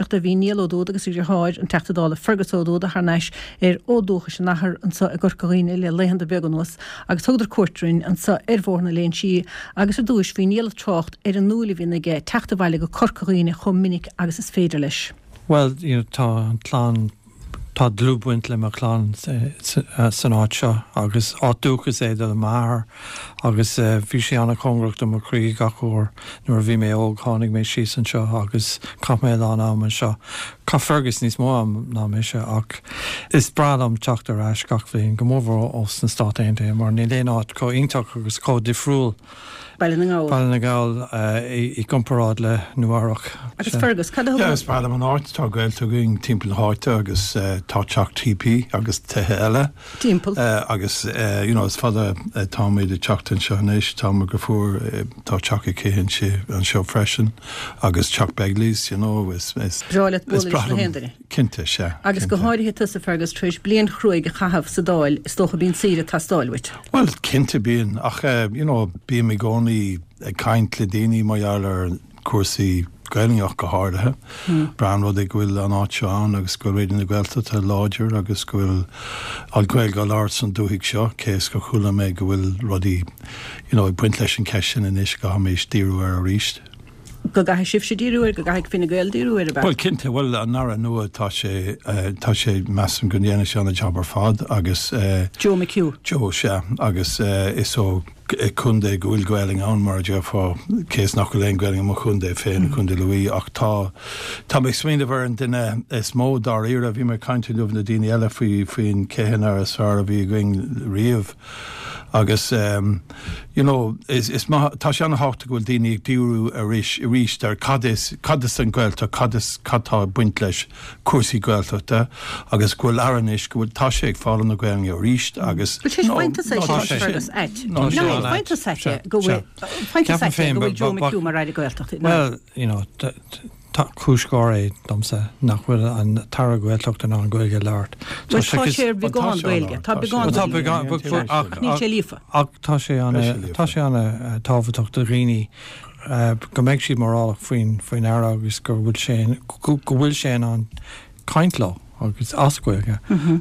éisteachta, bhí Niall Ó Dúda agus a dheartháir, an Teachta Dála Fergus Ó Dúda, thar n-ais ar fhód dúchais a n-athar anso i gCorca Dhuibhne le laethanta beaga anuas agus thugadar cuairt orainn anso ar Bhóthar na Léinsí agus ar dtúis bhí Niall ag trácht ar an ndúil a bhíonn aige teacht abhaile go Corca Dhuibhne chomh minic agus is féidir leis. Bhuel, you know, tá an chlann, tá dlúthbhaint le mo chlann san áit seo agus áit dúchais é do m'athair agus bhí sé an-chóngarach do mo chroí gach uair nuair a bhí mé óg tháinig mé síos anseo agus chaith mé a lán am anseo. Chaith Fergus níos mó am ná mise ach is breá liom teacht ar ais gach bhliain, go mórmhór ós na Stáit Aontaithe mar níl aon áit chomh iontach agus chomh difriúil Baile na nGall. Baile na nGall i gcomparáid le Nua Eabhrac. Agus Fergus, cad a thugann. Yeah, is breá liom an áit, tá gaolta againn timpeall na háite agus tá teach TP agus tithe eile. Timpeall. Agus you know is fada atáimid ag teacht anseo anois, tá mo dheirfiúr, tá teach aici anseo freisin agus teach Begley's, you know, is is breá leat bualadh leis na haon duine. Cinnte, sea. Agus go háirithe tusa, Fergus, tar éis bliain chruaidh a chaitheamh sa Dáil, is dócha bíonn saoire ag teastáil uait. Bhuel, cinnte bíonn, ach you know, bím i gcónaí ag caint le daoine mar gheall ar chúrsaí Gaelainne ach go háirithe. Breá an rud é go bhfuil an áit seo ann agus go bhfuil Raidió na Gaeltachta láidir agus go bhfuil an Ghaeilge á labhairt san dúthaigh seo, cé is gur chuala mé go bhfuil rudaí you know ag baint leis an cheist sin anois go gcaithfimis díriú air arís. Go gcaithfidh sibhse díriú air, go gcaithfidh Fine Gael díriú air, ab ea? Bhuel, cinnte, bhuel, an Aire nua, tá sé, tá sé, measaim go ndéanfaidh sé an-jab ar fad agus. Joe McHugh. Joe, sea, agus is ó chontae go bhfuil Gaelainn ann, mar a déarfá, cé is nach bhfuil aon Ghaelainn i mo chontae féin, Contae Lú, ach tá, tá mé ag smaoineamh ar an duine is mó dáiríre, bhí mé ag caint inniu le daoine eile faoi, faoin cé an Aire is fearr a bhí againn riamh. Agus you know is is maith, tá sé an-thábhachtach go bhfuil daoine ag díriú arís arís ar cad is cad is an Ghaeltacht, cad is cad tá ag baint leis cúrsaí Gaeltachta agus go bhfuil Aire anois go bhfuil tá sé ag foghlaim na Gaelainne arís agus Bhfuil sé no faigheann tusa no é tá sin sé Fergus ait. no No sé faigheann tusa ait é go bhfuil faigheann tusa Ceapaim ait é féin go bhfuil Joe but McHugh mar Aire Gaeltachta. Well you know Tá cúis gháire é domsa nach bhfuil an tAire Gaeltachta in ann Gaeilge a labhairt. Bhuel tá sé ar bheagán Gaeilge. Tá beagán Gaeilge ach níl sé líofa. Ach tá sé ana tá sé ana tábhachtach do dhaoine go mbeidh siad mórálach faoin faoin Aire agus go bhfuil sé go bhfuil sé in ann caint leo agus as Gaeilge.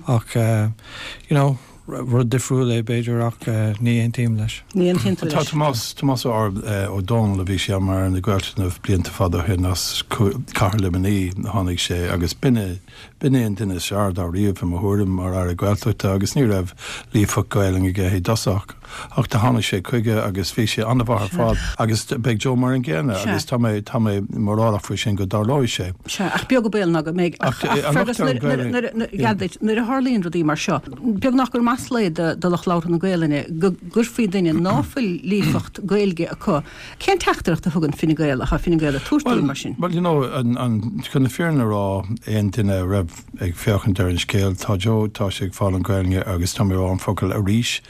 Ach you know Rud difriúil é, b'fhéidir, ach ní aontaím leis. Ní aontaíonn tú Tá leis. Tomás, Tomás Ó Ó Dónaill, a bhí sé mar Aire na Gaeltachta na blianta fada ó shin as Cathair Luimnigh a tháinig sé agus b'in é, b'in é an duine is fearr dá raibh i mo thuairim mar Aire Gaeltachta agus ní raibh líofacht Gaelainn aige i dtosach ach do tháinig sé chuige agus bhí sé an-mhaith ar fad agus beidh Joe mar an gcéanna agus tá mé, tá mé mórálach faoi sin go dtarlóidh sé. Sea, ach beag an baol ná go mbeidh. Ach, Ach, ach an Fergus, locht ar an nuair, nuair, Ghaelainn, nuair, nuair, geall duit, nuair a tharlaíonn rudaí mar seo, Beagnach gur masla é do lucht labhartha na Gaelainne go gcuirfí duine ná fuil líofacht Gaeilge acu. Cén teachtaireacht a thugann Fine Gael, atá Fine Gael ag tabhairt dúinn mar sin? Bhuel, you know, an, chun na fírinne a rá, aon duine a raibh ag féachaint ar an scéal, tá Joe, tá sé ag foghlaim Gaelainne agus tá mé ag rá an focal arís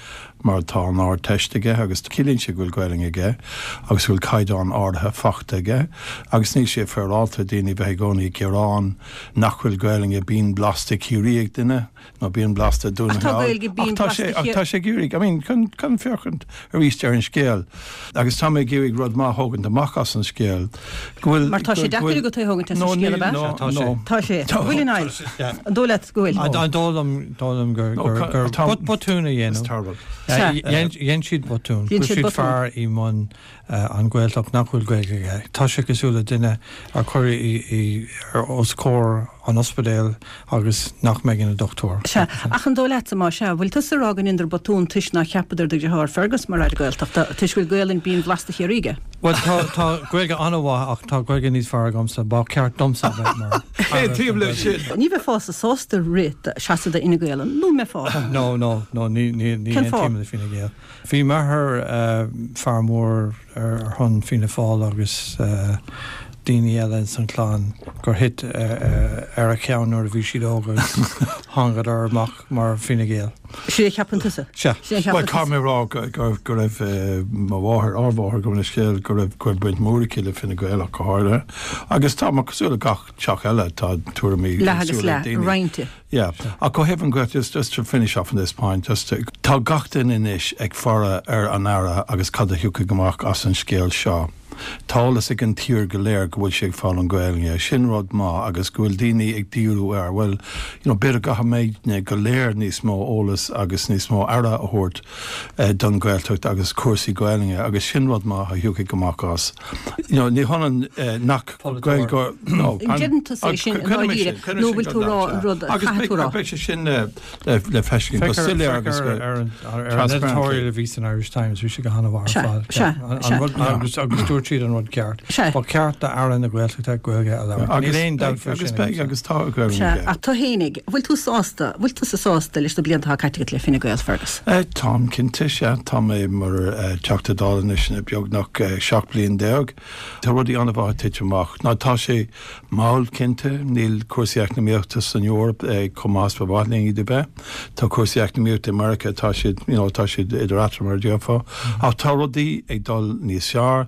mar tá an Ardteist aige agus ciallaíonn sé go bhfuil Gaelainn aige agus go bhfuil caighdeán áirithe fachta aige agus níl sé féaráilte daoine bheith i gcónaí ag gearán nach bhfuil Gaelainne binn blasta Ciarraí ag duine. nó binn blasta Dún na Ach tá nGall. Gaeilge binn Ach tá blasta sé, ach Chiar. tá sé ag iarraidh, I mean, chun, chun féachaint arís ar an scéal, agus tá mé ag iarraidh rud maith a thógaint amach as an scéal, go bhfuil, Mar tá go, sé go deacair bhfuil, agat é a thógaint as no, an scéal, níl, ab ea? no, Sea, tá sé. no. Tá sé. Tá, An bhfuil, a tá Niall? sé, yeah. An dóigh leat go bhfuil? No. An dóigh liom, dóigh liom gur, No, gur, ca, gur tá, but, botún a it's dhéanamh. terrible. Sea. Dhein, dhein siad botún. Dhein Chuir siad siad botún. fear i mbun an Ghaeltacht nach bhfuil Gaeilge aige. Tá sé cosúil le duine a cuireadh i, i, os comhair an ospidéil agus nach mbeidh ina dochtúir. Sea, ach an dóigh leatsa, má sea, bhfuil tusa ag rá go ndeineadar botún toisc nár cheapadar do dheartháir Fergus mar Aire Gaeltachta, toisc go bhfuil Gaelainn binn bhlasta Chiarraí aige? Bhuel, tá, tá Gaeilge an-mhaith ach tá Gaeilge níos fearr agamsa. Ba cheart domsa a bheith mar Aire Aontaím leis sin. Ní bheifeása sásta rith do, seasamh do Fhine Gael, an mbeifeá? No, no, no, ní, ní, ní Cén fáth? aontaím le Fine Gael. Bhí m'athair fear mór ar shon Fianna Fáil agus daoine eile ins an chlann gur thit ar a cheann nuair a bhí siad óg agus thángadar amach mar Fine Gael. Sin é a cheapann tusa? Sea. Sin é a Bhuel, cheapann caithfidh tusa. mé a rá go raibh mo mháthair, ár mháthair, gabh mo leithscéal, go raibh go raibh baint mhór aici le Fine Gael ach go háirithe. Agus tá, mar cosúil le gach teach eile, tá tuairimí Leath agus éagsúla ag leath, daoine. roinnte. Yeah. Ach ó thaobh an Ghaeltacht, just, just to finish off on this point, just to, tá gach duine anois ag faire ar an Aire agus cad a thiocfaidh amach as an scéal seo. Tá eolas ag an tír go léir go bhfuil sé ag foghlaim Gaelainne. Sin rud maith agus go bhfuil daoine ag díriú air. Bhuel, you know, b'fhéidir go gcaithfimidne go léir níos mó eolas agus níos mó aire a thabhairt don Ghaeltacht agus cúrsaí Gaelainne agus sin rud maith a thiocfaidh amach as. You know, ní hionann nach Gaeilgeoir, no. Deireann tusa é sin i ndáiríre nó bhfuil tú ag rá an rud a chaithfidh tú a rá? Beidh sé sin le feiscint go soiléir agus go Ar an editorial a bhí san Irish Times, bhí sé go han-mhaith ar fad. Sea, sea. Agus dúirt siad an rud ceart. Sea. Ba cheart d'Aire na Gaeltachta Gaeilge a labhairt. Níl aon dabht faoi sin. Agus beidh, agus tá Gaeilge Sea, ach tú fhéinig, bhfuil tú sásta, bhfuil tusa sásta leis na blianta atá caite agat le Fine Gael, Fergus? Táim cinnte, sea. Tá mé mar Teachta Dála anois beagnach 17 bliain. Tá rudaí an-mhaith ag titim amach. Ná tá sé mall, cinnte. Níl cúrsaí eacnamaíochta san Eoraip chomh maith is ba mhaith linn iad a bheith. Tá cúrsaí eacnamaíochta i Meiriceá, tá siad, you know, tá siad idir eatarthu mar a déarfá. Ach tá rudaí ag dul níos fearr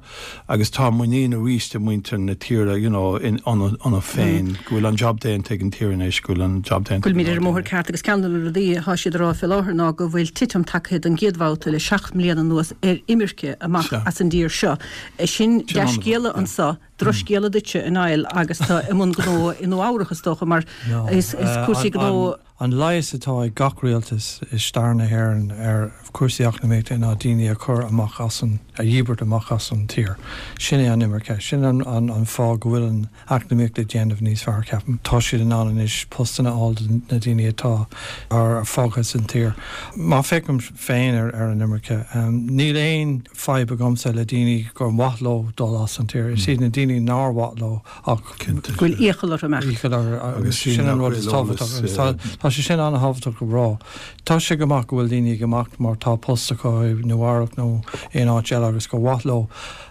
agus tá muinín arís i muintir na tíre, you know, in iontu féin, go bhfuil an job déanta ag an tír anois, go bhfuil an job déanta ag an. Go bhfuilimid ar an mbóthar ceart agus ceann de na rudaí atá siad a rá fé láthair ná go bhfuil titim tagtha don gcéad bhabhta le 7 mbliana anuas ar imirce amach as an dtír seo. Sin dea-scéala anso. Drochscéala duitse, a Niall, agus tú i mbun gnó i Nua Eabhrach, is dócha, mar is cúrsaí gnó. An leigheas atá ag gach rialtas i stair na hÉireann ar chúrsaí eacnamaíochta ná daoine a chur amach as an, a dhíbirt amach as an tír. Sin é an imirce. Sin an fáth go bhfuil an eacnamaíocht ag déanamh níos fearr, ceapaim. Tá siad in ann anois postanna a fháil do na daoine atá fágtha san tír. Má féachaim féin ar an imirce, níl aon. fadhb agamsa le daoine gur mhaith leo dul as an tír. Is iad na daoine nár mhaith leo ach. Go bhfuil iachall orthu imeacht. Iachall orthu agus sin an rud is tábhachtach agus tá sé sin an-thábhachtach a rá. Tá sé go maith go bhfuil daoine ag imeacht mar tá post acu i Nua Eabhrac nó aon áit eile agus gur mhaith leo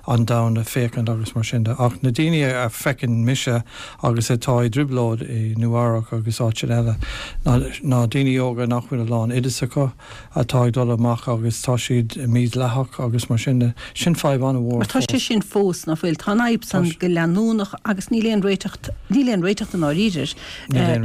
an domhan a féachaint agus mar sin de. Ach na daoine a feiceann mise agus atá i dtrioblóid i Nua Eabhrac agus áiteanna eile ná daoine óga nach bhfuil a lán oideas acu, atá ag dul amach agus tá siad mídhleathach agus mar sin de. Sin fadhb an-mhór Mar tá sé sin fós, ná fuil? Tá an fhadhb san go leanúnach agus níl aon réiteach, níl aon réiteach i ndáiríre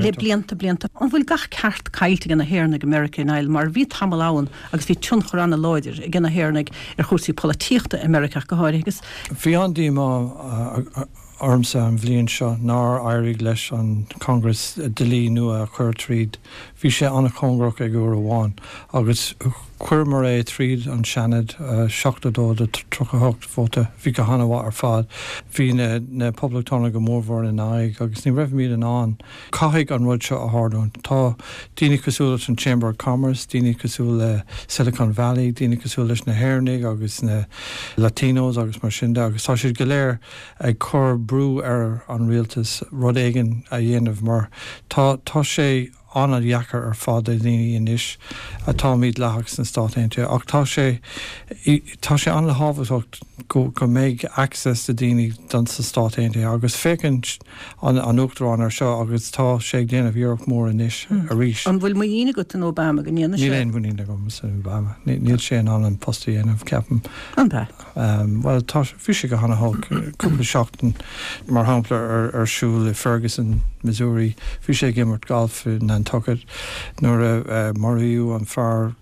le blianta, blianta. An bhfuil gach ceart caillte ag na hÉireannaigh i Meiriceá, a Niall, mar bhí tamall ann agus bhí tionchar an-láidir ag na hÉireannaigh ar chúrsaí polaitíochta i Meiriceá ach go háirithe agus. Bhí an-díomá ormsa an bhliain seo nár éirigh leis an Congress dlí nua a chur tríd. Bhí sé an-chóngarach ag uair amháin agus chuireamar é tríd an Seanad, 72 do 38 vóta. Bhí go han-mhaith ar fad. Bhí na Poblachtánaigh go mórmhór ina aghaidh agus ní raibhimid in ann. Caithfidh an rud seo a tharlúint. Tá daoine cosúil leis an Chamber of Commerce, daoine cosúil le Silicon Valley, daoine cosúil leis na hÉireannaigh agus na Latinos agus mar sin de agus tá siad go léir ag cur brú ar an rialtas rud éigin a dhéanamh mar tá tá sé an-dheacair ar fad do dhaoine anois atá mídhleathach sna Stáit Aontaithe ach tá sé tá sé an-thábhachtach go go mbeidh access do daoine don sna Stáit Aontaithe agus féachann an an Uachtarán ar seo agus tá sé ag déanamh iarracht mór anois arís. An bhfuil muinín agat in Obama go ndéanfaidh sé? Níl aon mhuinín agam in Obama. Níl sé in ann an post a dhéanamh, ceapaim. An ea? Bhuel, tá, bhí sé go han-olc. Cúpla seachtain, mar shampla, ar siúl i Ferguson, Missouri, bhí sé ag imirt galf i Nantucket nuair a maraíodh an fear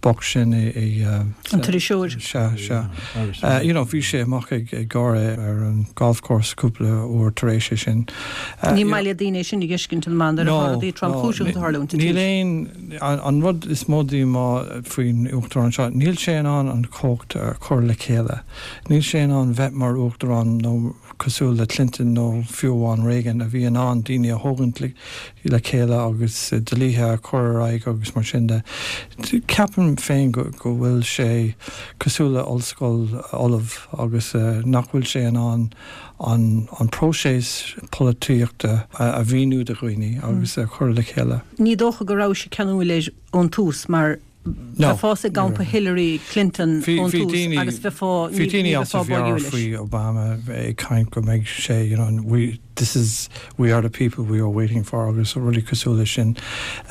bocht sin i. An t-iriseoir. Sea, sea. You know, bhí sé amach ag gáire ar an golf course cúpla uair tar éis é sin. Ní maith le daoine é sin a dh'fheiscint in amanna nuair atá rudaí tromchúiseacha ag tarlúint. Níl aon. An rud is mó díomá faoin Uachtarán seo, níl sé in ann an chumhacht a chur le chéile. Níl sé in ann bheith mar Uachtarán nó cosúil le Clinton nó fiú amháin Reagan a bhí in ann daoine a thógaint le chéile agus dlíthe a chur ar aghaidh agus mar sin de. Ceapaim féin go bhfuil sé cosúil le ollscoil fholamh agus nach bhfuil sé in ann an próiseas polaitíochta a mhíniú do dhaoine agus a chur le chéile. Ní dócha go rabhais ceanúil air ón tús mar bheifeá i gcampa Hillary Clinton ón tús agus bheifeá, ní bheifeá báúil leis. Bhí daoine as a mheabhair faoi Obama ag caint go mbeidh sé, you know, we, this is, we are the people we are waiting for agus rudaí cosúil leis sin.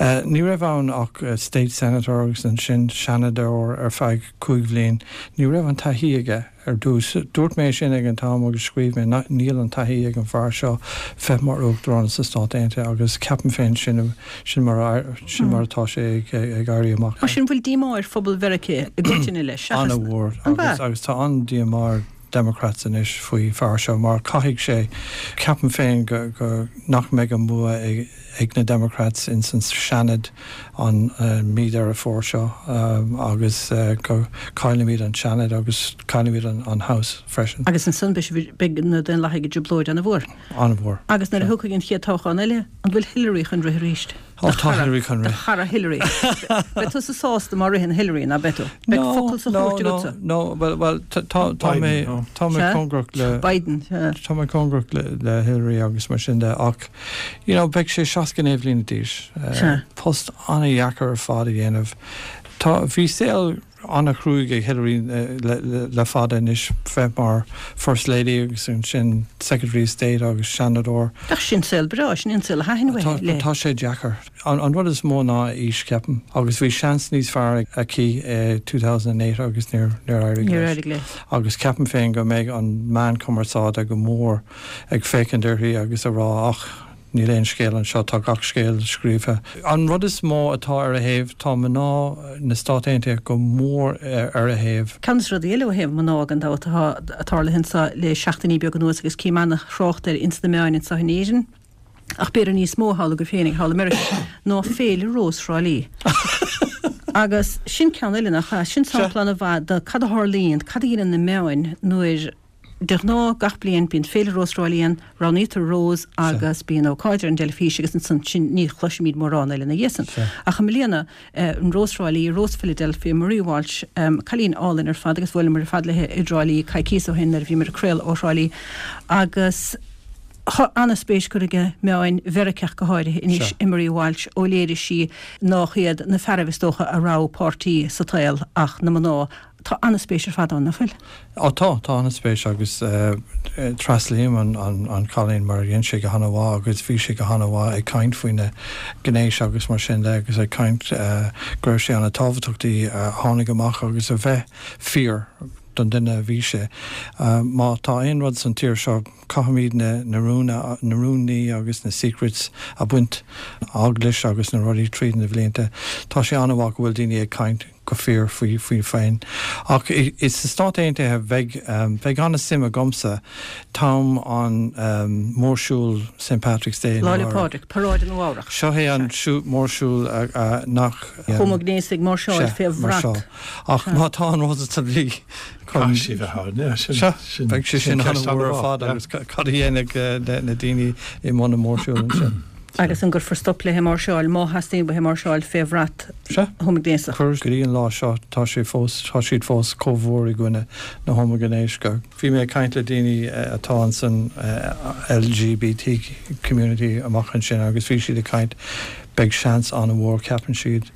Ní raibh ann ach state senator agus ansin seanadóir ar feadh cúig bhliain. Ní raibh an taithí aige. Ar dtús. Dúirt mé sin ag an t-am agus scríobh mé nach níl an taithí ag an bhfear seo bheith mar Uachtarán sna Stáit Aontaithe agus ceapaim féin sin sin mar sin mar atá sé ag ag éirí amach. Mar sin, bhfuil díomá ar phobal Mheiriceá i gcoitinne leis, seachas. An-mhór agus agus tá an-díomá ar. Democrats anois faoi fear seo mar caithfidh sé, ceapaim féin go, go, nach mbeidh an bua ag, ag na Democrats ins an Seanad an mí Deireadh Fómhair seo agus go caillfimid an Seanad agus caillfimid an House freisin. Agus ansan beidh na Daonlathaigh i dtrioblóid an-mhór. An-mhór. Agus nuair a thiocfaidh an chéad toghchán eile, an bhfuil Hillary chun rith arís? Ó tá Hillary chun rith. Do chara Hillary. Beidh tusa sásta má ritheann Hillary, ná beidh tú? Beidh focal sa chúirt agatsa. No, no, well, well, tá, tá mé, tá mé cóngarach le. Biden, sea. Tá mé cóngarach le Hillary agus mar sin de ach, you know, beidh sé 69 bhliana d'aois. Sea. Post an-dheacair ar fad a dhéanamh. Tá, bhí saol an-chruaidh ag Hillary le fada anois, bheith mar First Lady agus ansin Secretary of State agus Seanadóir. Ach sin saol breá, sin é an saol a thaitin léi. Tá sé deacair. An rud is mó ná a aois, ceapaim, agus bhí seans níos fearr aici i 2008 agus níor éirigh léi. Agus ceapaim féin go mbeidh an meán cumarsáide go mór ag féachaint uirthi agus a rá ach níl aon scéal anseo, tá gach scéal scríofa. An rud is mó atá ar a thaobh, tá mná na Stát Aontaithe go mór ar a thaobh. Ceann de na rudaí eile ó thaobh mná gan dabht atá tarlaithe anseo le seachtainí beaga anuas agus cím ana-thrácht air ins na meáin anseo in Éirinn, ach b'fhéidir níos mó thall agaibh féinig thall i Meiriceá, ná Féile Rós Thrá Lí. Agus sin ceann eile nach ea? Sin sampla ana-mhaith de cad a tharlaíonn, cad a dhéanann na meáin nuair, De ghnáth, gach bliain, bíonn Féile Rós Thrá Lí ann, roghnaítear rós agus bíonn ócáid ar an dteilifís agus ansan sin ní chloisimid mórán eile ina dhiaidh san. Ach i mbliana, an Rós Thrá Lí, Rós Philadelphia, Marie Walsh, cailín álainn ar fad agus bhuaileamar ar fad léi i dTrá Lí coicíos ó shin nuair a bhíomar ag craoladh ó Thrá Lí agus tá an-spéis curtha ag meáin Mheiriceá go háirithe anois i Marie Walsh ó léirigh sí nách iad na fearaibh is dócha a rogha páirtí sa tsaol ach na mná Tá an-spéis ar fad ann, nach bhfuil? Á tá, tá an-spéis agus tréaslaím an cailín mar dhein sé go han-mhaith agus bhí sé go han-mhaith ag caint faoina gnéis agus mar sin de agus ag caint go raibh sé an-tábhachtach di a tháinig amach agus a bheith fíor don duine a bhí sé. Má tá aon rud san tír seo caithfimid na rúin agus na secrets a bhaint eaglais agus na rudaí tríd na bhlianta. Tá sé an-mhaith go bhfuil daoine ag caint go fíor faoi faoi féin. Ach sna Stáit Aontaithe bheidh bheidh an-suim agamsa t-am an mórshiúl St Patrick's Day Lá 'le Pádraig, paráid i Nua Eabhrac. Seo é an mórshiúl nach. Homaighnéasaigh ag máirseáil fé bhrat. Ach má tá an rós sa dlí chun. Caithfidh sí bheith ann, yeah, sin. Sea, beidh sé sin an-mhór ar fad agus cad a dhéanfaidh na daoine i mbun an mhórshiúil ansin? Agus an gcuirfear stop léi máirseáil má theastaíonn uaithi máirseáil fé bhrat homaighnéasach? Go dtí an lá seo tá sé fós, tá siad fós chomh mhór i gcoinne na homaighnéis go. Bhí mé ag caint le daoine atá ansan LGBT community amach ansin agus bhí siad ag caint, beidh seans an-mhór ceapann siad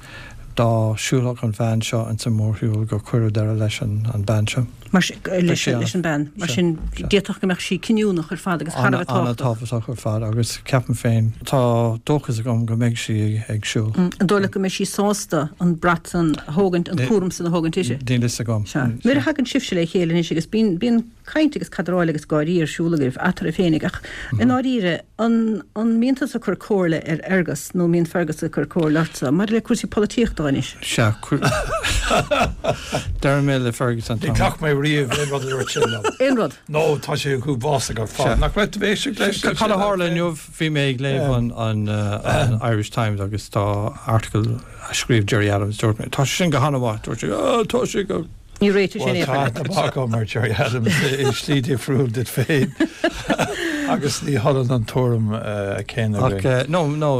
dá siúlfadh an bhean seo ins an mórshiúl go cuireadh deireadh leis an bean seo. Mar sin, leis an bean. Mar sin, d'fhéadfadh go mbeadh sí cinniúnach ar fad agus thar a bheith tábhachtach. An-tábhachtach ar fad agus ceapaim féin, tá dóchas agam go mbeidh sí ag siúl. An dóigh leat go mbeidh sí sásta an brat san a thógaint, an cúram san a thógaint uirthi? Níl fhios agam. Sea. Nuair a thagann sibhse le chéile anois agus bíonn, bíonn caint agus cadráil agus gáirí ar siúl agaibh eatarthu féinig ach i ndáiríre, An mbíonn tusa ag cur comhairle ar Fhergus nó an mbíonn Fergus ag cur comhairle ortsa maidir le cúrsaí polaitíochta anois? Sea, deir mé le Fergus an t-am. Ní ghlac mé riamh aon rud a dúirt sé liom. Aon rud? No, tá sé uafásach ar fad. Nach raibh tú ag éisteacht leis? Cad a tharla inniu, bhí mé ag léamh an Irish Times agus tá article a scríobh Gerry Adams, dúirt mé, tá sé sin go han-mhaith, dúirt sé, oh, tá sé go. Ní réitigh sé in aon chor leat. Bhuel, tá aithne agam ar Gerry Adams i slí difriúil duit féin agus ní hionann an tuairim céanna againn. Ach no, no,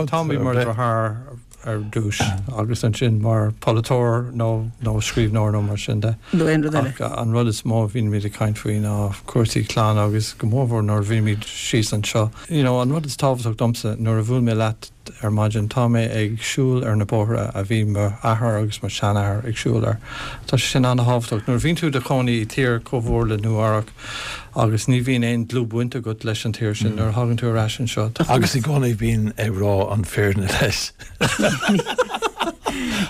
táimid mar dheartháir ar dtús agus ansin mar pholaiteoir nó nó scríbhneoir nó mar sin de. Nó aon rud eile. Ach an rud is mó a bhímid ag caint faoi ná cúrsaí clainne agus go mórmhór nuair a bhímid síos anseo. You know, an rud is tábhachtach domsa nuair a bhuail mé leat, Ar maidin tá mé ag siúl ar na bóithre a bhí m'athair agus mo sheanathair ag siúl air. Tá sé sin an-thábhachtach. Nuair a bhíonn tú i do chónaí i tír chomh mhór le Nua Eabhrac agus ní bhíonn aon dlúthbhaint agat leis an tír sin, nuair a thagann tú ar ais anseo, tá. Agus i gcónaí bím ag rá an fírinne leis.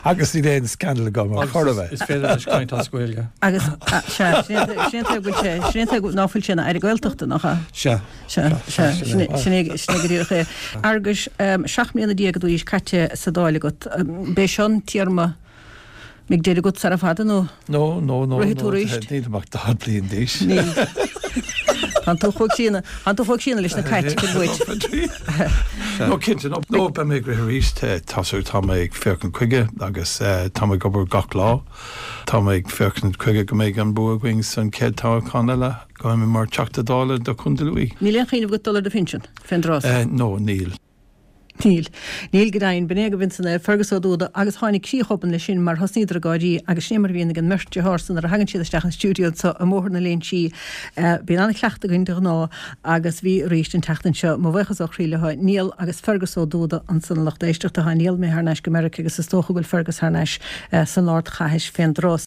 Agus níl aon scandal agam ar chor ar bith. Is féidir leis caint as Gaeilge. Agus, sea, sin é an tuige go bhfuil sé, sin é an tuige ná fuil sé ina Aire Gaeltachta, nach ea? Sea. Sea, sea, sin é go díreach é. A Fhearghuis, 17 mbliana atá tar éis caite sa Dáil agat. B'é seo an téarma. Mbeidh deireadh agat sara fada nó No, no, no, rithfidh tú no, arís? nílim ach 40 bliain d'aois. Níl. Tánn tú chomh críonna, tánn tú chomh críonna leis na cait, cuid uait. No, cinnte, no, no, beidh mé ag rith arís, tá súil, tá mé ag féachaint chuige agus tá mé ag obair gach lá. Tá mé ag féachaint chuige go mbeidh an bua againn san chéad toghchán eile, go mbeidh mé mar Teachta Dála do Chontae Lú. Níl aon chuimhneamh agat dul ar do phinsean, fén dtráth so? No, níl. Níl. Níl go deimhin. B'in é agaibh ansan é, Fergus Ó Dúda, agus tháinig críoch obann leis sin mar thosnaíodar ag gáirí agus sin é mar a bhíonn ag an mbeirt dearthár san nuair a thagann siad isteach an stiúideo anso i mBóthar na Léinsí. Bíonn an-chleachtadh againn de ghnáth agus bhí arís an tseachtain seo. Mo bhuíochas ó chroí leo, Niall agus Fergus Ó Dúda ansan a lucht éisteachta. Tá Niall imithe thar n-ais go Meiriceá agus is dócha go bhfuil Fergus thar n-ais san ardchathair fén dtráth.